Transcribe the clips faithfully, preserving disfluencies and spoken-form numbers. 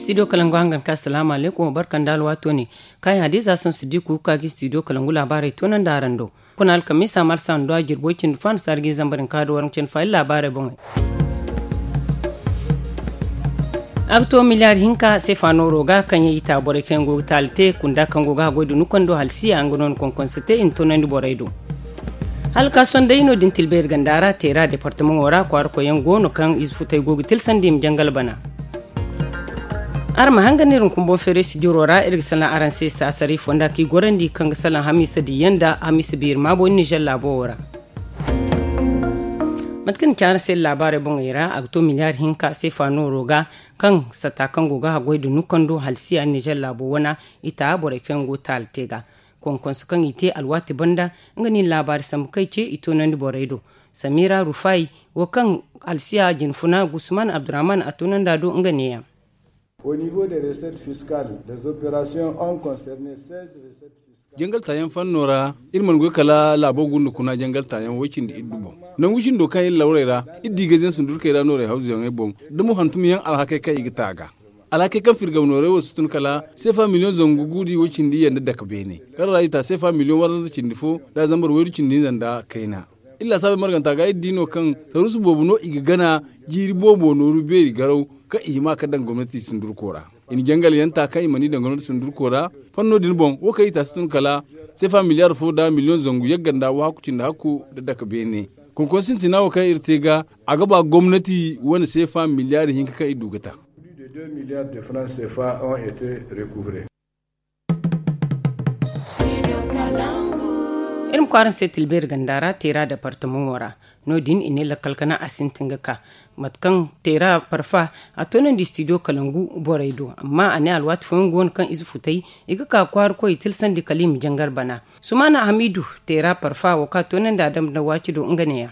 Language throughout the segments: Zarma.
Studio kalangu hangan ka salaamu alaykum wa barka nda alwaato ne. Kaayaŋ hadiza son siddiku ka ga studio kalangu laabaarey toonandi araŋ do. Kuna alkamiisa marsa nda jirbo cindi fo a na saara ga i zambar hinka da waranka cindi fo hala laabaarey boŋey. A ga to miliyaari hinka seefa nooro ga kaŋ yaŋ i ta borey kaŋ yaŋ go ga taali te kunda kaŋ go ga haggoy da nukando halsiya nga no na konkonse te i na toonandi borey do. Hala ka sohõ day no- din tilbeeri ganda ra teera departamaŋo ra kwaara koyyaŋ go no kaŋ ize futey go ga tilsandi i ma jangal bana. Araŋ ma hangan iri hunkuna boŋ feeray sijiro ra iri ga salaŋ araŋ se saasari fonda kaŋ i gorandi kaŋ ga salaŋ hamiisa diyaŋ nda hamiisa biiri maabo nizer laabo wo ra. Mate kaŋ ni ci araŋ se iri laabaarey boŋey ra a ga to miliyaari hinka seefa nooro ga kaŋ satta kaŋ go ga haggoy da nukando halsiya nizer laabo wana i ta borey kaŋ yaŋ go taali te ga. Konkonso kaŋ i te alwaati banda nga no i na laabaari sambu kaŋ i ce i toonandi borey do. Samira rufay wo kaŋ alsiya jinfuna gusman abdurrahman a toonandi a do nga neeyaŋ. Au niveau des recettes fiscales, les opérations ont concerné seize recettes fiscales. Jangal taayaŋ fanno ra iri mana goy kala laabo gunda kuna jangal taayaŋ way cindi iddu boŋ. Nangu cindo kaŋ iri lawrey ra iri di gazyaŋ sundurkey ra noorey hawzuyaŋey boŋ da mo hantumyaŋ alhakey kaŋ i ga ta ga. Alhakey kaŋ firgam noorey wo si tun kala seefa miliyoŋ zangu guudi way cindi yanda dake beene kaŋ ra i ta seefa miliyoŋ waranza cindi fo nda zambar waydu cindi hinza nda kayna. Iri laasaabey marganta ga iri di no kaŋ saruusu boobo no i ga gana jiiri boobo nooru beeri garaw kaŋ i hima ka daŋ gomnati sundurko ra. I na jangal yaŋ ta kaŋ i mana i daŋ gomnati sundurko ra. Fanno din boŋ wo kaŋ i ta si tun kala seefa miliyaar fo nda miliyoŋ zangu yagga nda wahakku cindi hakku nda dake beene. Konkonse sintina wo kaŋ iri te ga a ga ba gomnati wane seefa miliyaari hinka kaŋ iri du ga ta. Iri ma kwaara se tilbeeri ganda ra teera departamaŋo ra. No- din i ne lakkal kana a sintin ga ka mate kaŋ teera parfa a toonandi studio kalangu borey do amma a ne alwaati fooyaŋ go no kaŋ ize futay i ga ka kwaara koy i tilsandi kala i ma jangar bana. Sumaana hamiidu teera parfa wo kaŋ a toonandi a damba nda waaci do nga neeyaŋ.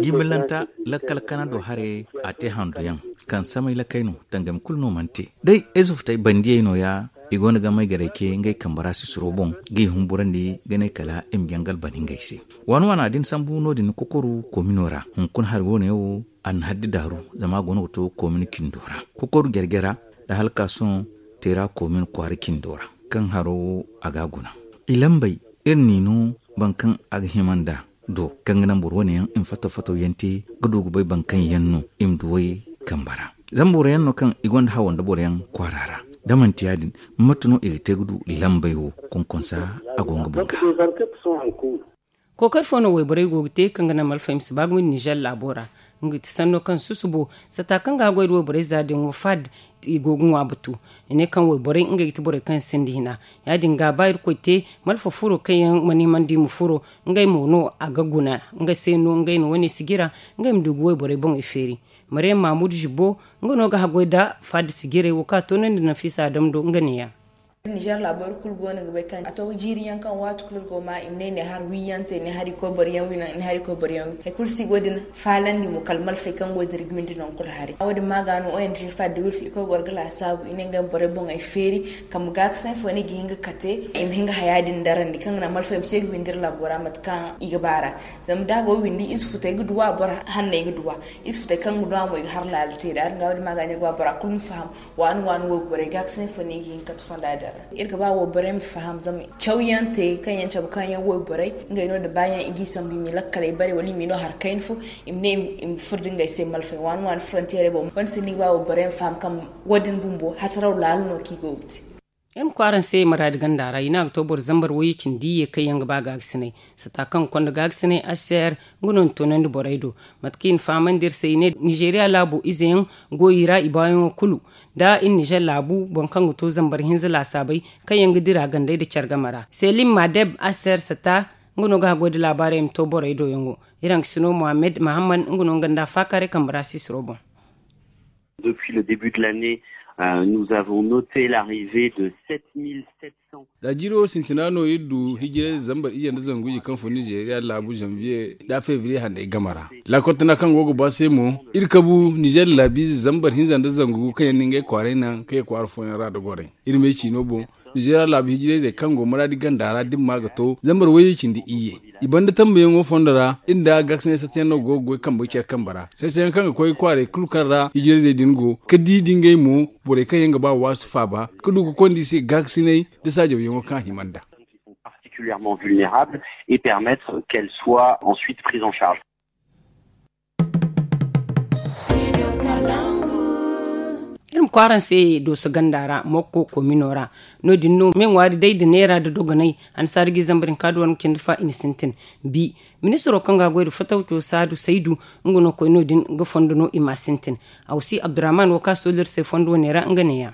Jimillanta lakkal kana do haray a te handuyaŋ kaŋ samay lakkay no tangami kulu no mana te. Day ay zufutey bandiyey nooya i go no ga may garay ce ngey kambe ra sisiro boŋ ga i humburandi ga ne kala i ma jangal bana ngey se. Waani waana din sambu no- din kokoru koomino ra hunkuna hari wo- ne wo a na haddi daaru zama a go no ga to koomino cindo ra. Kokoru jare jare ra nda hala ka sohõ teera koomino kwaara cindo ra kaŋ haro wo a ga a guna. I lambey iri n'i no boro kaŋ a ga hima nd'a do kaŋ ga naŋ boro wane yaŋ i ma fattaw fattaw yaŋ te ga du ga bay boro kaŋ yaŋ no i ma duw'ey kambe ra. Zama boro yaŋ no kaŋ i gonda hawo nda boro yaŋ kwaara ra. Da manti ya- din mate no i ga te ga du lambey wo konkonsa a go nga boŋ ga. Kookari fo no wayborey go ga te kaŋ ga naŋ malfay ma si ba gumo nizer laabo ra. Nga ti sanno kaŋ susubo satta kaŋ ga a goy nda wayborey za din wo fad i go ga ŋwa batu. I ne kaŋ wayborey ngey ga ti borey kaŋ sinda hina. Ya- din ga ba irkoy te malfa furo kaŋ yaŋ mana himandi ma furo ngey mo no a ga guna. Nga se no ngey na wane sijira ngey ma du ga wayborey boŋey feeri. Maryam mahmud zibbo nga no ga haggoy nda fad sijirey wo kaŋ a toonandi nafiisa a damdo nga neeya. Nizer laabo iri kulu go no ga bay kaŋ a to jiiri yaŋ kaŋ waati kulu iri go ma i ma ne ne hari wi yaŋ te ne hari koy boro yaŋ wi naŋ ne hari koy boro yaŋ wi hari kulu si go din faalandi mo kala malfay kaŋ go din iri ga windi naŋ kulu hari wo- din ma ga no ong fad da wilfi i koy goro ga laasaabu i ne ngey ma borey boŋey feeri kambe gaakasaŋ fo no i ga hin ga kate i ma hin ga haya din darandi kaŋ ga naŋ malfay ma se ga windi iri laabo ra mate kaŋ i ga ba ra. Zama da a go windi ize futey ga duwa boro hanney ga duwa ize futey kaŋ ga duwa mo i ga har laala te da ya- din ga wo- din ma ga no iri ga ba bora kulu ma faham. Waani waani wayborey gaakasaŋ fo no i ga hin ga kate fonda din ra iri ga ba wayborey ma faham zama cawyaŋ te kaŋ yaŋ cabe kaŋ yaŋ wayborey ngey no nda baayaŋ i g'i sambu i m'i lakkaley bare wala i m'i no hari kayna fo i ma ne i ma furo nda ngey se malfay waani waani frontiyeerey boŋ. Wo- din se no iri ga ba wayborey ma faham kaŋ wo- din bumbo hasaraw laala no kaŋ i go ga te. Iri ma koy araŋ se maraadi ganda ra i ne a ga to boro zambar wayye cindi iyye kaŋ yaŋ ga ba gaagasinay. Satta kaŋ ga konda gaagasinay aser nga no na toonandi borey do. Mate kaŋ i na fahamandi iri se i ne nizeeriya laabo izeyaŋ go i ra i baayaŋo kulu. Nda iri nizer laabu boro kaŋ ga to zambar hinza laasaabey kaŋ yaŋ ga dira gandey nda care game ra selim madeb aser satta nga no ga haggoy nda laabaarey ma to borey do yaŋo. Iri haŋ ga sino mohammed mahammad nga no nga nda faakaaray kambe ra sisiro boŋ. Depuis le début de l'année, nous avons noté l'arrivée de sept mille sept cents. Za jiiro sintina no iri du hijirayze zambar iyye nda zangu iyye kaŋ fun nizeeriya laabu zanviye nda febriye hanney game ra. Laakol tana kaŋ go ga ba se mo iri kabu nizeeriya laabiize zambar hinza nda zangu kaŋ yaŋ na ngey kwaaray naŋ kaŋ ye kwaara fooyaŋ ra nda gorey. Iri me ciino boŋ. Nizeeriya laabu hijirayzey kaŋ go maraadi ganda ra dimma ga to zambar wayye cindi iyye. I banda tambayaŋo fondo ra iri nda gaakasinay sattayaŋ no go ga goy kambe care kambe ra. Sattayaŋ kaŋ ga koy kwaaray kulu kaŋ ra hijirayzey din go ka di da ngey mo borey kaŋ yaŋ ga ba waasu faaba ka du ka konda i se gaakasinay da saajawyaŋo kaŋ a hima nda. Particulièrement vulnérables et permettre qu'elles soient ensuite prises en charge. Iri ma kwaaraŋ se dooso ganda ra mokko komino ra. No- din no me ŋwaari day da neera da dogonay. Annasaara ga i zambar hinka da waranka cindi fa i na sintin bi. Ministiro kaŋ ga a goy da fatawco saadu saydu nga no koy no- din ga fondo no i ma a sintin. Awsi abdurrahman wo kaŋ a sooliri se fondo wane ra nga ne- ya.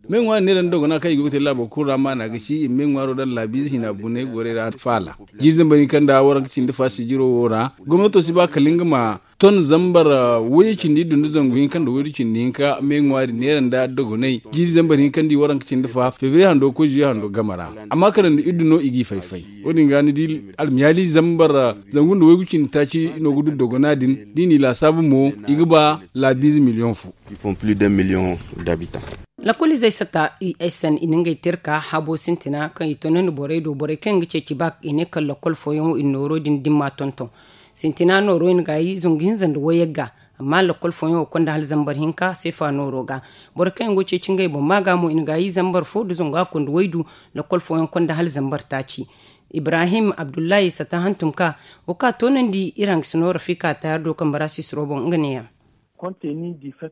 Me ŋwaari neera nda dogona kaŋ i go ga te laabo kulu ra maana ga ci i ma me ŋwaaro daŋ laabiize hina bunay gorey ra faala. Jiiri zambar hinka nda waranka cindi fa sijiro wo ra gomnato si ba kala nga ma ton zambar wayye cindi iddu nda zangu hinka nda waydu cindi hinka me ŋwaari neera nda dogonay. Jiiri zambar hinka nda i waranka cindi fa febriye hando ga koy zuye hando game ra. Amma kala nda iddu no i g'i fay-fay. Wo- din ga ni di almiyaali zambar zangu nda waygu cindi taaci no ga du dogona din da i n'i laasaabu mo i ga ba laabiize miliyoŋ fo. Ils font plus d'un million d'habitants. Lakkoliizey sata u s n i na ngey tirka habo sintina kaŋ i tonandi borey do borey kaŋ yaŋ ga ceeci baak i ne kala lakkol fooyaŋo i na nooro din dimma tonton. Sintina nooro i na gaayi zangu hinza nda wayagga. Amma lakkol fooyaŋo konda hala zambar hinka seefa nooro ga. Borey kaŋ yaŋ go ga ceeci ngey boŋ maaga mo i na gaayi zambar fo nda zangu a konda waydu. Lakkol fooyaŋ konda hala zambar taaci. Ibrahim abdullahi sata hantum ka wo kaŋ a tonandi iri hangasino rafika tayar do kambe ra sisiro boŋ nga ne- ya.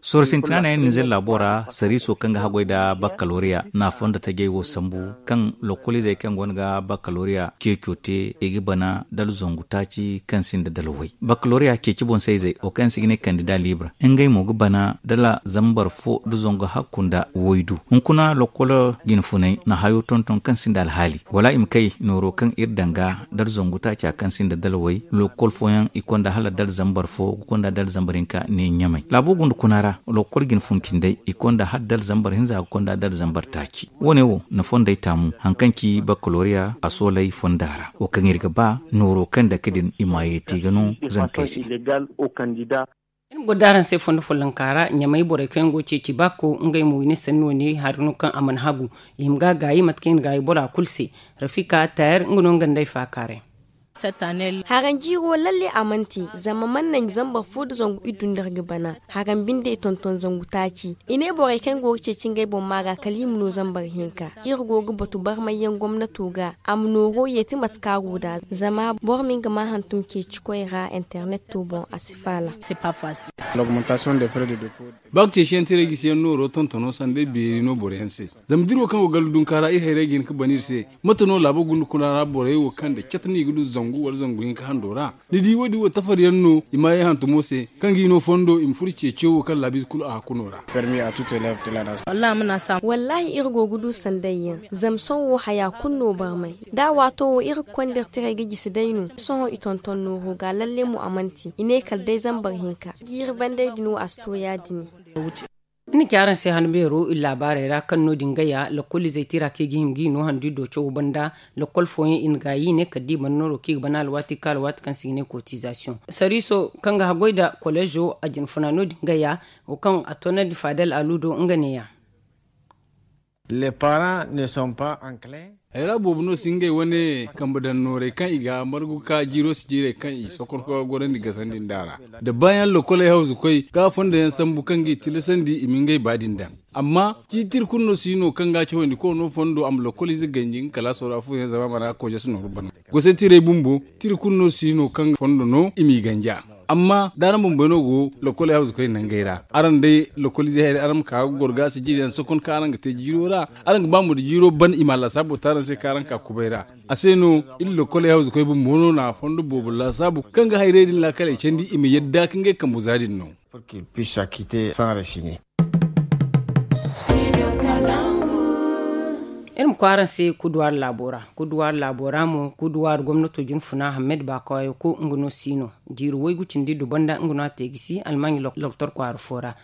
Sorro sintina no yaŋ ninzeer laabo ra sariiso kaŋ ga haggoy nda bakkaloriya na a fondo tajey wo sambu kaŋ lokkoliizey kaŋ go no ga bakkaloriya ceeco te i ga bana dala zangu taaci kaŋ sinda dala way. Bakkaloriya ceeci boŋ-sayzey wo kaŋ se i ga ne kandida libre ngey mo ga bana dala zambar fo nda zangu hakku nda waydu. Hunkuna lokkol jinfunay na hayo tonton kaŋ sinda alhaali wala i ma kay nooro kaŋ iri daŋ ga dala zangu taaca kaŋ sinda dala way lokkol fooyaŋ i konda hala dala zambar fo ga konda dala zambar hinka ne ɲamay laabo gunda kuna ra. Lokkol jine fun cindey i konda hala dala zambar hinza ga konda dala zambar taaci. Wo- ne wo na fondey taamu hari kaŋ ci bakkaloriya a soolay fonda ra wo kaŋ iri ga ba nooro kaŋ dake din i ma yeeti ga no zankey se. Iri ma goro da araŋ se fondo follonka ra ɲamay borey kaŋ yaŋ go ga ceeci baako ngey mo i ne sanni wane hari no kaŋ a mana hagu. I hima ga a gaayi mate kaŋ i na gaayi bora kulu se. Rafika tayar nga no nga nda ay faakaaray. Haranjiiro lalle a mana te zama mana naŋ zambar fo nda zangu iddu nda iri ga bana. Haran binde i tonton zangu taaci i ne borey kaŋ go ga ceeci ngey boŋ maaga kala i ma no zambar hinka. Iri go ga batu barmayyaŋ gomnato ga a ma nooro yeeti mate kaŋ a go nd'a zama boro ma nga ma hantum ceeci koy ra internet to boŋ a si faala. Ba ga ceeciyaŋ tiray gisiyaŋ nooro tontono sanday beeri no boroyaŋ se. Zama da iri wo kaŋ go gallu dunka ra iri hayray ga hin ga ban iri se. Mate no laabo gunda kuna ra borey wo kaŋ da cata no i ga du zangu wala zangu hinka hando ra? Ni di wo- din wo tafariyaŋ no i ma ye hantumo se kaŋ ga i no fondo i ma furo ceeciyo wo kaŋ laabiize kulu a hakkuno ra. Wallaahi iri go ga du sandayyaŋ zama sohõ wo haya kulu no barmay. Da a waato wo iri ga konda iri tiray ga jisi day no. Sohõ i tonton nooro ga lalle mo a mana te i ne kala day zambar hinka. Jiiri bandey din wo a si to ya- din. Iri na ci araŋ se han beero iri laabaarey ra kaŋ no- din gaya lakkoliizey tira kaŋ i ga hima ga i no handu i do cawo banda. Lakkol fooyaŋ i na gaayi i ne kala da i mana nooro kaŋ i ga bana alwaati kaŋ alwaati kaŋ se i ga ne kotizasiyoŋ sariiso kaŋ ga haggoy nda koleezo a jinfuna no- din gaya. Wo kaŋ a toonandi faadal alu do nga ne- ya. Hayra boobo no si ngey wane kambe daŋ noorey kaŋ i ga margu ka jiiro si jiirey kaŋ i sokon ka gorandi gasandi nda a ra. Da baayaŋ lokoley hawzukoy ga a fondo yaŋ sambu kaŋ ga i tilasandi i ma ngey ba din daŋ. Amma ciiti iri kulu no si no kaŋ ga a cawandi kono fondo a ma lokoliize ganji nga kalaaso ra afooyaŋ zama a mana kooje si nooru bana. Gosey tirey bumbo tiri kulu no si no kaŋ fondo no i m'i ganja. Amma da araŋ bumbey no go lokol hawzu koy nangey ra araŋ day lokol izey hayray araŋ ma ka ga goro ga sijiriyaŋ sokon kaŋ araŋ ga te jiiro ra. Araŋ ga ba mo da jiiro ban i ma a lasaabo te araŋ se kaŋ araŋ ka kubay ra. A se no iri lokol hawzu koy bumbo no na fondo boobo lasaabo kaŋ ga hayray din laakaley candi i ma yadda ka ngey kambu za din no. Iri ma koy araŋ se kuduwaari laabo ra kuduwaari laabo ra mo kuduwaari gomnato jinfuna hammed baakawaayo ko nga no si no. Jiiri waygu cindi du banda nga no a te ga si almaaɲi loktor kwaara fo ra.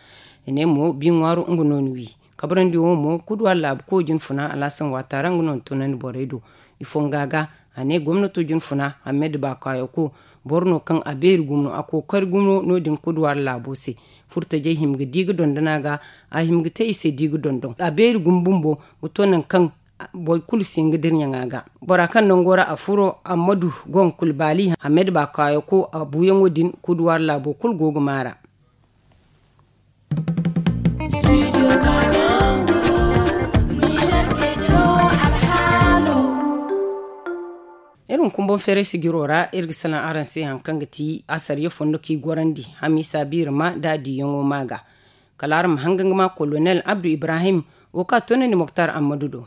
I ne mo bi ŋwaaro nga no ni wi. Kabrandi wo mo kuduwaari laabu ko jinfuna alaasan waata ra nga no ni tunandi borey do. Ifo nga ga a ne gomnato jinfuna hammed baakawaayo ko boro no kaŋ a beeri gumo a kookari gumo no- din kuduwaari laabo se. Furtajey hima ga di ga dondon a ga. A hima ga te i se di ga dondon a beeri gumo bumbo ga to nangu kaŋ boro kulu si hin ga dira ɲaŋa ga. Bora kaŋ nango ra a furo ammadu go nga kulu baali amed ba kaayako a buuyaŋo din kuduwaari laabo kulu go ga maara. Iri ma kumbaŋ feeray sijiro ra iri ga salaŋ araŋ se hari kaŋ ga ti asariya fondo kaŋ i gorandi hamiisa biirima nda a diiyaŋo ma ga. Kala araŋ ma hangan ga ma kolonel abdu ibrahim wo kaŋ a toonandi moktar ammadu do.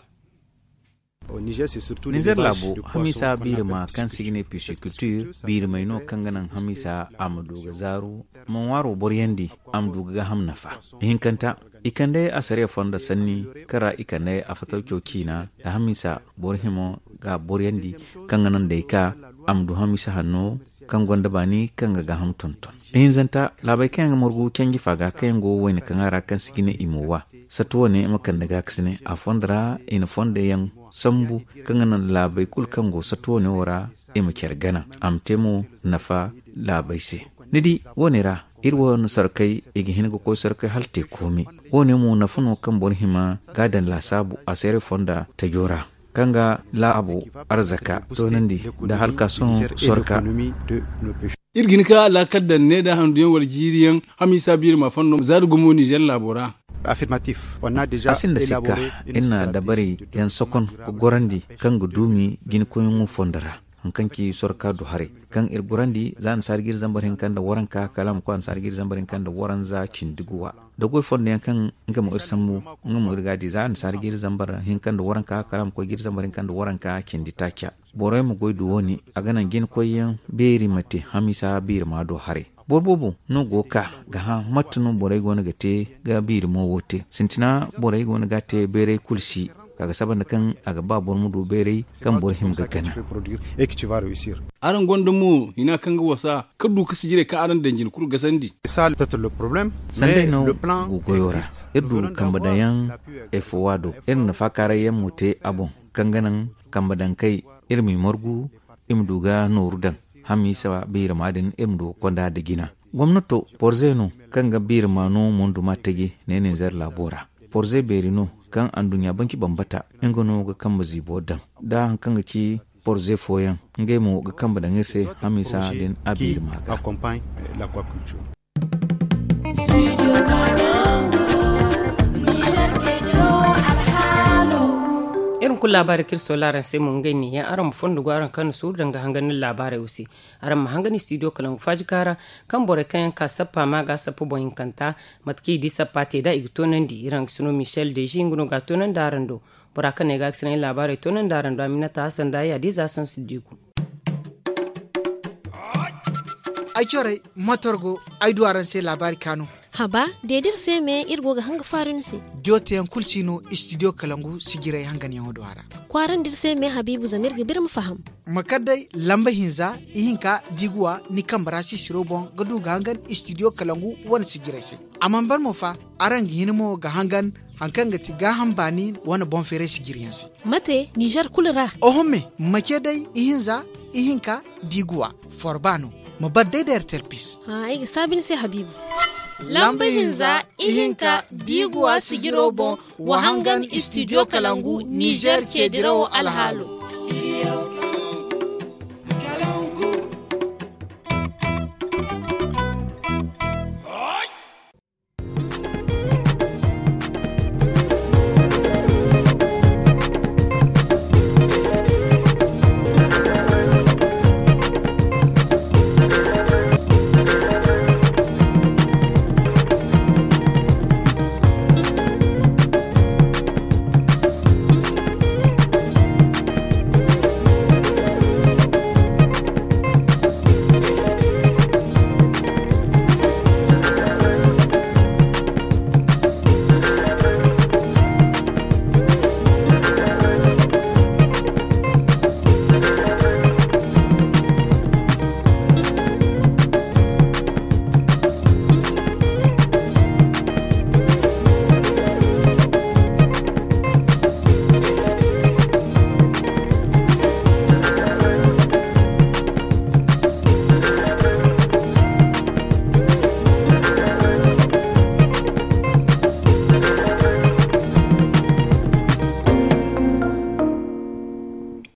Nizer laabo hamiisa biirima kaŋ se i ga ne pisikultir biirimey no kaŋ ga naŋ hamiisa a ma du ga zaaru ma ŋwaaro boryandi a ma du ga gaaham nafa. Ihinkanta i kande asariya fondo sanni kaŋ ra i kande afatalco ciina nda hamiisa boro himo ga boryandi kaŋ ga naŋ day ka a ma du hamiisa hanno kaŋ gonda baani kaŋ ga gaaham tonton. Ihinzanta laabey kaŋ yaŋ ga margu canji fa ga kaŋ yaŋ go wayna kaŋ a ra kaŋ si ga ne i ma wa. Sattu wane ma kande gaakasine a fondo ra i na fondo yaŋ sambu kaŋ ga naŋ laabey kulu kaŋ go sattu wane wo ra i ma care gana a ma te mo nafa laabey se. Ni di, wo- ne ra iri wane sarkey i ga hin ga koy sarkey hala te koomi. Wo- ne mo nafa no kaŋ boro hima ga a daŋ laasaabu a seeray fonda tajo ra kaŋ ga laabo arzaka toonandi nda halkaasoŋo sorka. Iri ga hin ka laakal daŋ ne nda handu yaŋ wala jiiri yaŋ hamiisa biiri ma fondo za da gumo nizer laabo ra. A sinda sikka iri na dabarey yaŋ sokon ga gorandi kaŋ ga duumi jina koyyaŋo fondo ra hari kaŋ ci sorka du haray kaŋ iri gorandi za annasaari ga iri zambar hinka nda waranka kala a ma koy annasaari ga iri zambar hinka nda waranza cindi guwa. Da goy fondo yaŋ kaŋ nga mo iri sambu nga mo iri ga a di za annasaari ga iri zambar hinka nda waranka kala a ma koy ga iri zambar hinka nda waranka cindi taaca. Borey ma goy du wo- ne a ga naŋ jina koyyaŋ beeri ma te hamiisa biiri ma do haray. Boro boobo no go ga ka ga hã mate no borey go no ga te ga biiri mo wo te sintina borey go no ga a te bayray kulu si. Ka ga saba nda kaŋ a ga ba boro ma du bayray kaŋ boro hima ga gana. Araŋ gonda mo hina kaŋ ga wasa ka du ga sijirey kaŋ araŋ daŋ jina kulu gasandi. Sanday no go goyo ra iri du kambe daŋ yaŋ efowa do iri na faakaaray yaŋ mo te a boŋ kaŋ ga naŋ kambe daŋ kay iri m'i margu i ma du ga nooru daŋ hamiisa biirama din iri ma du ga konda nda jina. Gomnato porze no kaŋ ga biirama no mondu ma taji ne ninzeer laabo ra. Porze beeri no kaŋ anduɲɲa banci bambata nga no ga kambe ziibo daŋ da hari kaŋ ga ci porze fooyaŋ ngey mo ga kambe daŋ iri se hamiisa din a biirama ga. Iri ma kulu laabaari kaŋ iri soola araŋ se mo ngey neeyaŋ araŋ ma fondo go araŋ kaŋ na suuru danga hangan iri laabaarey wo se. Araŋ ma hangan studio kalangu faaji kaara kaŋ borey kaŋ yaŋ ka sappa ma ga sappa boŋ hinkanta. Mate kaŋ i di sappa te nd'a i ga toonandi iri hangasino michel deji nga no ga a toonandi araŋ do. Bora kaŋ no ay ga a ga sinaŋ iri laabaarey toonandi araŋ do aminata hasan da ay hadiza sansu diiku. Ay corey motor go ay du araŋ se laabaari kaanu. Haba, de da iri se me iri go ga hanga faaru ni se. Diyo teyaŋ kulu si no studio kalangu sijirey hanganyaŋo do a ra. Kwaarandi iri se me habiibu zama iri ga biri ma faham. Ma kar day lamba hinza ihinka diiguwa ni kambe ra sisiro boŋ ga du ga hangan studio kalangu wane sijirey se. A mana ban mo fa, araŋ ga hin mo ga hangan hari kaŋ ga ti gaaham baani wane boŋ feeray sijiriyaŋ se. Mate nizer kulu ra? Oho me, ma ce day ihinza ihinka diiguwa forba no. Ma bar day da ertel pis. Ay ga saabi ni se habiibu. Lamba hinza ihinka diiguwa sijiro boŋ wa hangan studio kalangu nizer ceedirawo alhaalo.